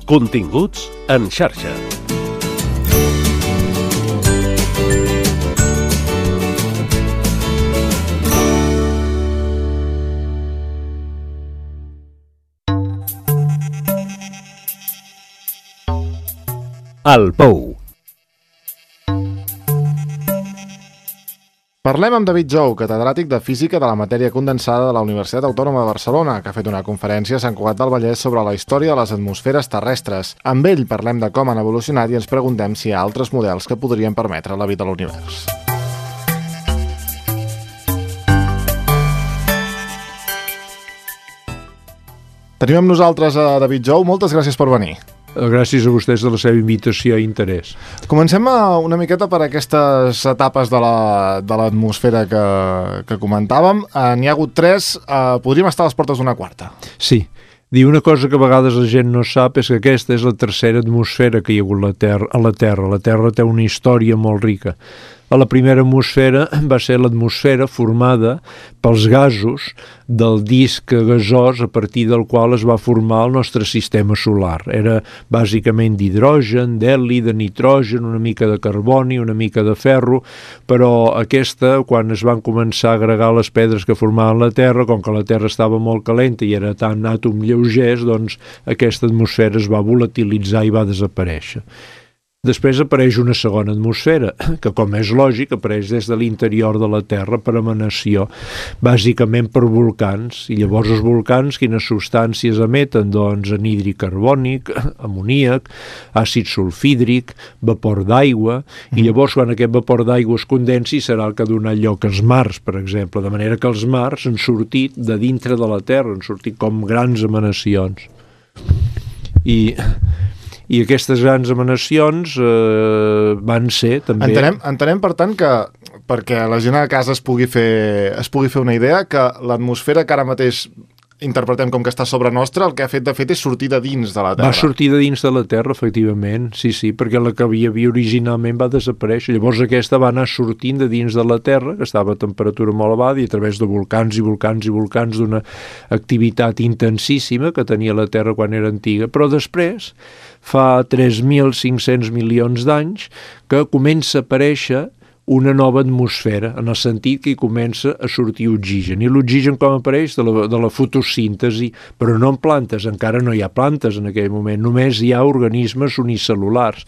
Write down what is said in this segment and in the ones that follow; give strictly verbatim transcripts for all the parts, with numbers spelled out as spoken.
Continguts en xarxa. El Pou. Parlem amb David Jou, catedràtic de Física de la matèria condensada de la Universitat Autònoma de Barcelona, que ha fet una conferència a Sant Cugat del Vallès sobre la història de les atmosferes terrestres. Amb ell parlem de com han evolucionat i ens preguntem si hi ha altres models que podrien permetre la vida a l'univers. Tenim amb nosaltres a David Jou. Moltes gràcies per venir. Gràcies a vostès de la seva invitació i interès. Comencem una miqueta per aquestes etapes de l'atmosfera que, que comentàvem. N'hi ha hagut tres, eh, podríem estar a les portes d'una quarta. Sí. Dir una cosa que a vegades la gent no sap és que aquesta és la tercera atmosfera que hi ha hagut la terra, a la Terra. La Terra té una història molt rica. A la primera atmosfera va ser l'atmosfera formada pels gasos del disc gasós a partir del qual es va formar el nostre sistema solar. Era bàsicament d'hidrogen, d'heli, de nitrogen, una mica de carboni, una mica de ferro, però aquesta, quan es van començar a agregar les pedres que formaven la Terra, com que la Terra estava molt calenta i era tan àtom lleugers, doncs aquesta atmosfera es va volatilitzar i va desaparèixer. Després apareix una segona atmosfera, que com és lògic apareix des de l'interior de la Terra per emanació, bàsicament per volcans, i llavors els volcans quines substàncies emeten? Doncs anhídrid carbònic, amoníac, àcid sulfídric, vapor d'aigua, i llavors quan aquest vapor d'aigua es condensi serà el que ha donat lloc als mars, per exemple, de manera que els mars han sortit de dintre de la Terra, han sortit com grans emanacions. I... I aquestes grans emanacions eh, van ser també... Entenem, entenem, per tant, que perquè la gent a casa es pugui fer, es pugui fer una idea, que l'atmosfera que ara mateix interpretem com que està sobre nostra, el que ha fet de fet és sortir de dins de la Terra. Va sortir de dins de la Terra, efectivament, sí, sí, perquè la que hi havia originalment va desaparèixer. Llavors aquesta va anar sortint de dins de la Terra, que estava a temperatura molt elevada, i a través de volcans i volcans i volcans d'una activitat intensíssima que tenia la Terra quan era antiga. Però després, fa tres mil cinc-cents milions d'anys, que comença a aparèixer una nova atmosfera, en el sentit que hi comença a sortir oxigen. I l'oxigen com apareix? De la, de la fotosíntesi, però no en plantes, encara no hi ha plantes en aquell moment, només hi ha organismes unicel·lulars.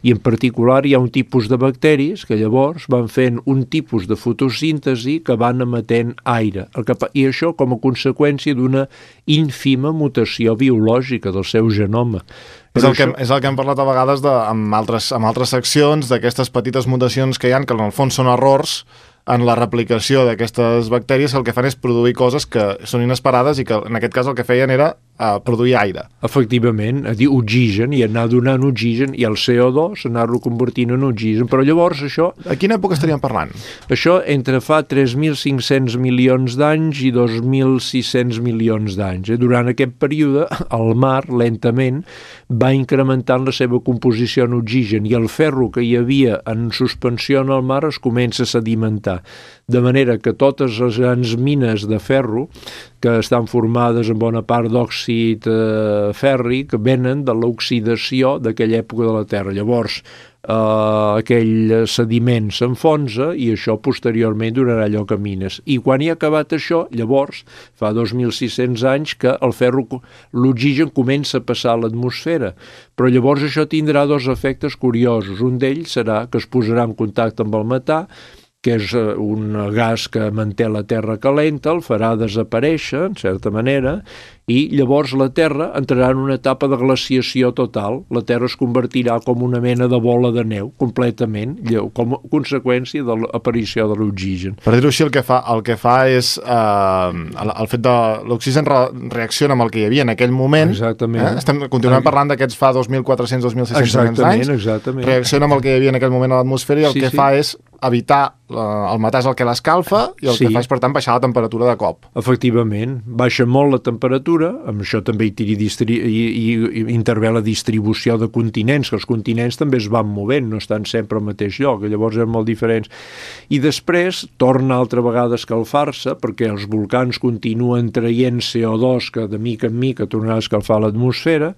I en particular hi ha un tipus de bacteris que llavors van fent un tipus de fotosíntesi que van emetent aire. El que, I això com a conseqüència d'una ínfima mutació biològica del seu genoma. És el, que, és el que hem parlat a vegades de, amb, altres, amb altres seccions, d'aquestes petites mutacions que hi ha, que en el fons són errors en la replicació d'aquestes bactèries, que el que fan és produir coses que són inesperades i que en aquest cas el que feien era uh, produir aire. Efectivament, a dir oxigen, i anar donant oxigen, i el C O dos anar-lo convertint en oxigen, però llavors això... A quina època estaríem parlant? Això entre fa tres mil cinc-cents milions d'anys i dos mil sis-cents milions d'anys. Eh? Durant aquest període, el mar, lentament, va incrementant la seva composició en oxigen, i el ferro que hi havia en suspensió en el mar es comença a sedimentar. De manera que totes les grans mines de ferro, que estan formades en bona part d'òxid eh, fèrric, venen de l'oxidació d'aquella època de la Terra. Llavors, eh, aquell sediment s'enfonsa i això posteriorment donarà lloc a mines. I quan hi ha acabat això, llavors, fa dos mil sis-cents anys que el ferro, l'oxigen comença a passar a l'atmosfera. Però llavors això tindrà dos efectes curiosos. Un d'ells serà que es posarà en contacte amb el metà, que és un gas que manté la Terra calenta, el farà desaparèixer, en certa manera, i llavors la Terra entrarà en una etapa de glaciació total. La Terra es convertirà com una mena de bola de neu, completament, com a conseqüència de l'aparició de l'oxigen. Per dir-ho així, el que fa, el que fa és... Eh, el, el fet de l'oxigen re, reacciona amb el que hi havia en aquell moment. Exactament. Eh? Estem, continuem parlant d'aquests fa dos mil quatre-cents a dos mil sis-cents anys. Exactament. Reacciona amb el que hi havia en aquell moment a l'atmosfera i el sí, que sí. fa és evitar el metà és el que l'escalfa i el Sí. que fa és, per tant, baixar la temperatura de cop. Efectivament, baixa molt la temperatura, amb això també hi, tiri distri... I, i, i intervé la distribució de continents, que els continents també es van movent, no estan sempre al mateix lloc, llavors eren molt diferents. I després torna altra vegada a escalfar-se, perquè els volcans continuen traient C O dos que de mica en mica tornarà a escalfar l'atmosfera,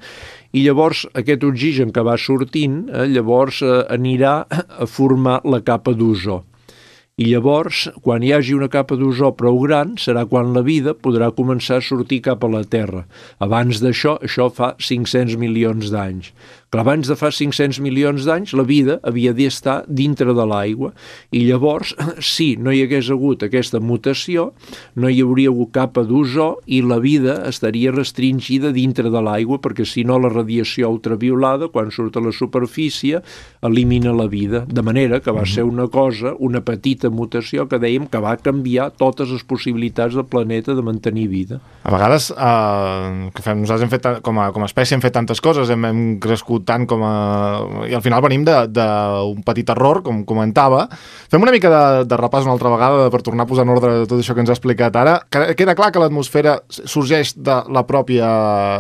i llavors aquest oxigen que va sortint, eh, llavors eh, anirà a formar la capa d'ozó. I llavors, quan hi hagi una capa d'ozó prou gran, serà quan la vida podrà començar a sortir cap a la Terra. Abans d'això, això fa cinc-cents milions d'anys. Clar, abans de fa cinc-cents milions d'anys, la vida havia d'estar dintre de l'aigua. I llavors, si no hi hagués hagut aquesta mutació, no hi hauria hagut capa d'ozó i la vida estaria restringida dintre de l'aigua, perquè si no la radiació ultraviolada, quan surt a la superfície, elimina la vida. De manera que va ser una cosa, una petita mutació que dèiem que va canviar totes les possibilitats del planeta de mantenir vida. A vegades, eh, que fem, nosaltres hem fet, com a, com a espècie hem fet tantes coses, hem, hem crescut tant com a... I al final venim d'un petit error, com comentava. Fem una mica de, de repàs una altra vegada per tornar a posar en ordre tot això que ens ha explicat ara. Queda clar que l'atmosfera sorgeix de la pròpia,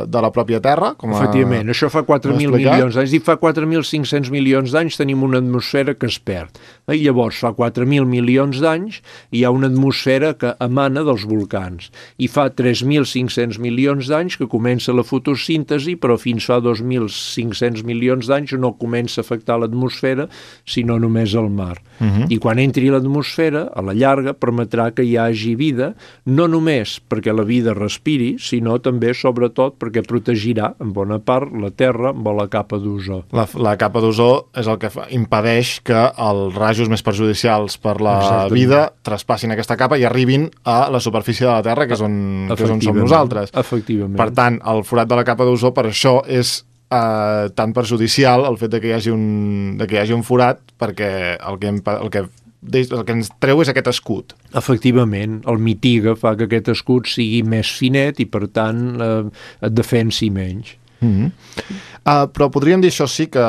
de la pròpia Terra. Com a... Efectivament, això fa quatre mil milions d'anys. I fa quatre mil cinc-cents milions d'anys tenim una atmosfera que es perd. I llavors, fa quatre mil milions d'anys hi ha una atmosfera que emana dels volcans. I fa tres mil cinc-cents milions d'anys que comença la fotosíntesi, però fins fa dos mil cinc-cents milions d'anys no comença a afectar l'atmosfera, sinó només el mar. Uh-huh. I quan entri l'atmosfera, a la llarga, permetrà que hi hagi vida, no només perquè la vida respiri, sinó també, sobretot, perquè protegirà, en bona part, la Terra amb la capa d'ozó. La, la capa d'ozó és el que fa, impedeix que els rajos més perjudicials per la Exactament. Vida traspassin aquesta capa i arribin a la superfície de la Terra, que és on, que és on som nosaltres. Efectivament. Per tant, el forat de la capa d'ozó, per això és Uh, tan perjudicial el fet de que hi hagi un, de que hi hagi un forat, perquè el que, el, que, el que ens treu és aquest escut. Efectivament, el mitiga, fa que aquest escut sigui més finet i, per tant, uh, et defensi menys. Mm-hmm. uh, però podríem dir això sí, que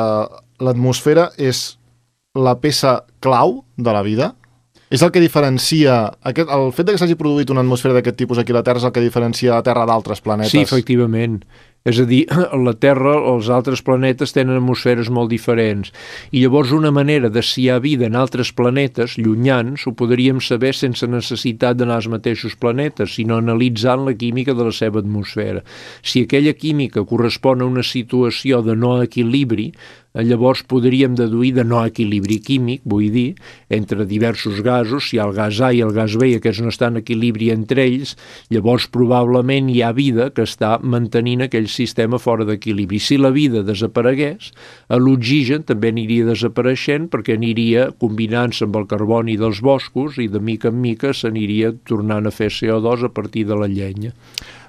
l'atmosfera és la peça clau de la vida? És el que diferencia... Aquest, el fet de que s'hagi produït una atmosfera d'aquest tipus aquí a la Terra és el que diferencia la Terra d'altres planetes? Sí, efectivament. És a dir, la Terra, els altres planetes tenen atmosferes molt diferents. I llavors una manera de si hi ha vida en altres planetes llunyans ho podríem saber sense necessitat d'anar als mateixos planetes, sinó analitzant la química de la seva atmosfera. Si aquella química correspon a una situació de no equilibri, llavors podríem deduir de no equilibri químic, vull dir, entre diversos gasos, si hi ha el gas A i el gas B i aquests no estan en equilibri entre ells, llavors probablement hi ha vida que està mantenint aquell sistema fora d'equilibri. Si la vida desaparegués, l'oxigen també aniria desapareixent perquè aniria combinant-se amb el carboni dels boscos i de mica en mica s'aniria tornant a fer C O dos a partir de la llenya.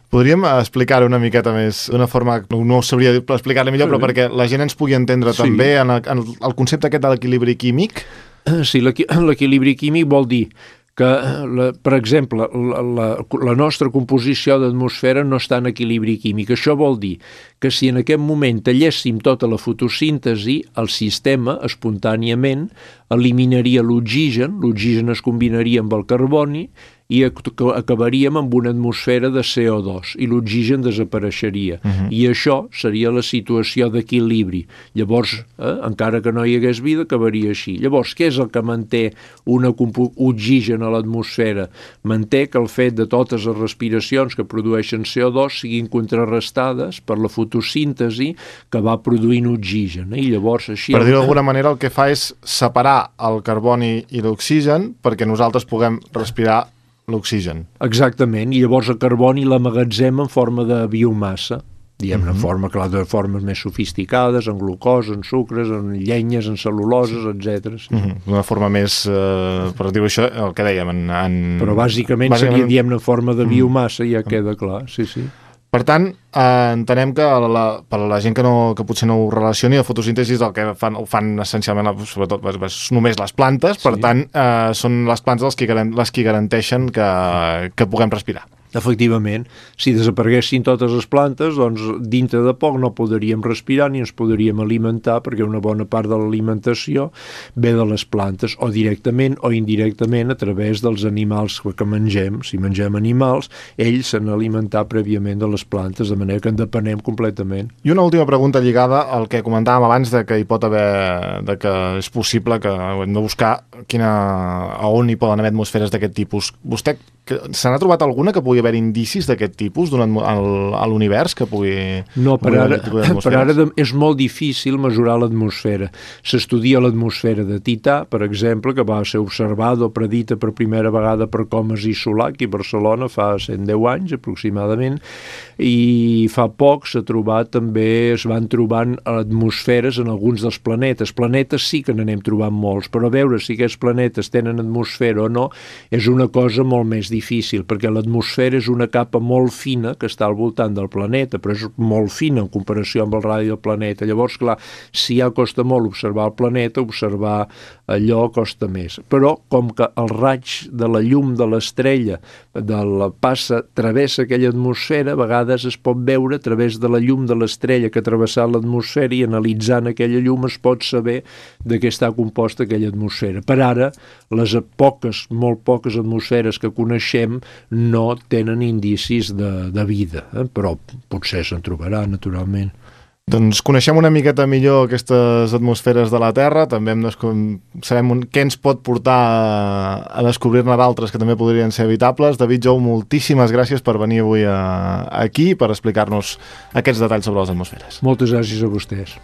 Podríem explicar-ho una miqueta més, d'una forma, no sabria explicar-li millor, sí. Però perquè la gent ens pugui entendre sí. També en el, en el concepte aquest de l'equilibri químic. Sí, l'equilibri químic vol dir que, la, per exemple, la, la, la nostra composició d'atmosfera no està en equilibri químic. Això vol dir que si en aquest moment talléssim tota la fotosíntesi, el sistema espontàniament eliminaria l'oxigen, l'oxigen es combinaria amb el carboni i acabaríem amb una atmosfera de C O dos i l'oxigen desapareixeria. Uh-huh. I això seria la situació d'equilibri. Llavors, eh, encara que no hi hagués vida, acabaria així. Llavors, què és el que manté un oxigen a l'atmosfera? Manté que el fet de totes les respiracions que produeixen C O dos siguin contrarrestades per la fotosíntesi que va produint oxigen. Eh? I llavors, així... Per dir-ho d'alguna manera, el que fa és separar el carboni i l'oxigen perquè nosaltres puguem respirar l'oxigen. Exactament, i llavors el carboni l'amagatzem en forma de biomassa, diguem-ne, uh-huh. forma, clar, de formes més sofisticades, en glucosa, en sucres, en llenyes, en cel·luloses, etcètera. Sí. Uh-huh. Una forma més, eh, per dir això, el que dèiem, en... en... Però bàsicament, bàsicament seria, diguem-ne, en forma de biomassa, ja uh-huh. queda clar, sí, sí. Per tant, eh, entenem que la, per a la gent que, no, que potser no ho relacioni, la fotosíntesi és el que fan, ho fan essencialment, sobretot, només les plantes, per sí. tant, eh, són les plantes les que, les que garanteixen que, que puguem respirar. Efectivament, si desapareguessin totes les plantes, doncs dintre de poc no podríem respirar ni ens podríem alimentar, perquè una bona part de l'alimentació ve de les plantes, o directament o indirectament a través dels animals que mengem. Si mengem animals, ells s'han alimentat prèviament de les plantes, de manera que en depenem completament. I una última pregunta lligada al que comentàvem abans de que hi pot haver, de que és possible que hem de buscar quina, a on hi poden haver atmosferes d'aquest tipus. Vostè, se n'ha trobat alguna que pugui haver indicis d'aquest tipus a l'univers que pugui... No, per ara, per ara és molt difícil mesurar l'atmosfera. S'estudia l'atmosfera de Tità, per exemple, que va ser observada o predita per primera vegada per Comas i Solà, aquí a Barcelona, fa cent deu anys aproximadament, i fa poc s'ha trobat també, es van trobant atmosferes en alguns dels planetes. Planetes sí que n'anem trobant molts, però veure si aquests planetes tenen atmosfera o no és una cosa molt més difícil, perquè l'atmosfera és una capa molt fina que està al voltant del planeta, però és molt fina en comparació amb el radi del planeta. Llavors, clar, si ja costa molt observar el planeta, observar allò costa més. Però, com que el raig de la llum de l'estrella de la passa, travessa aquella atmosfera, a vegades es pot veure a través de la llum de l'estrella que ha travessat l'atmosfera, i analitzant aquella llum es pot saber de què està composta aquella atmosfera. Per ara, les poques, molt poques atmosferes que coneixem no tenen indicis de, de vida, eh? Però potser se'n trobarà, naturalment. Doncs coneixem una miqueta millor aquestes atmosferes de la Terra, també hem sabem un, què ens pot portar a, a descobrir-ne d'altres que també podrien ser habitables. David Jou, moltíssimes gràcies per venir avui a, aquí per explicar-nos aquests detalls sobre les atmosferes. Moltes gràcies a vostès.